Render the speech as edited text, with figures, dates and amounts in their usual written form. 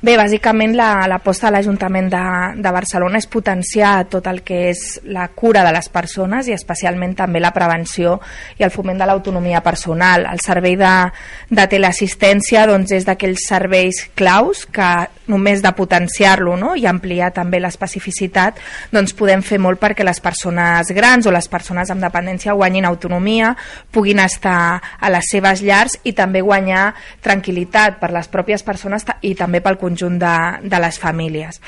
Bé, bàsicament l'aposta de l'Ajuntament de Barcelona és potenciar tot el que és la cura de les persones i especialment també la prevenció i el foment de l'autonomia personal. El servei de teleassistència doncs, és d'aquells serveis claus que només de potenciar-lo, no? I ampliar també l'especificitat doncs podem fer molt perquè les persones grans o les persones amb dependència guanyin autonomia, puguin estar a les seves llars i també guanyar tranquil·litat per les pròpies persones i també pel conjunt de les famílies.